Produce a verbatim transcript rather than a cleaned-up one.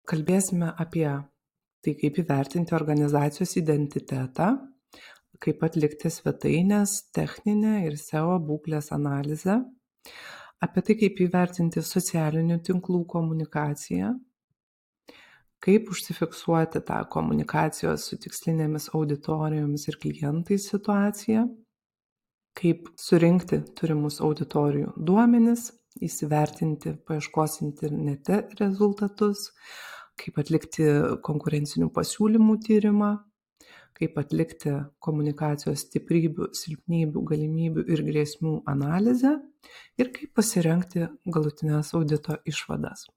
Kalbėsime apie tai, kaip įvertinti organizacijos identitetą, kaip atlikti svetainės techninę ir S E O būklės analizę, apie tai, kaip įvertinti socialinių tinklų komunikaciją, kaip užsifiksuoti tą komunikacijos su tikslinėmis auditorijomis ir klientais situaciją, kaip surinkti turimus auditorijų duomenis, įsivertinti paieškos internete rezultatus, kaip atlikti konkurencinių pasiūlymų tyrimą, kaip atlikti komunikacijos stiprybių, silpnybių, galimybių ir grėsmių analizę ir kaip pasirengti galutinės audito išvadas.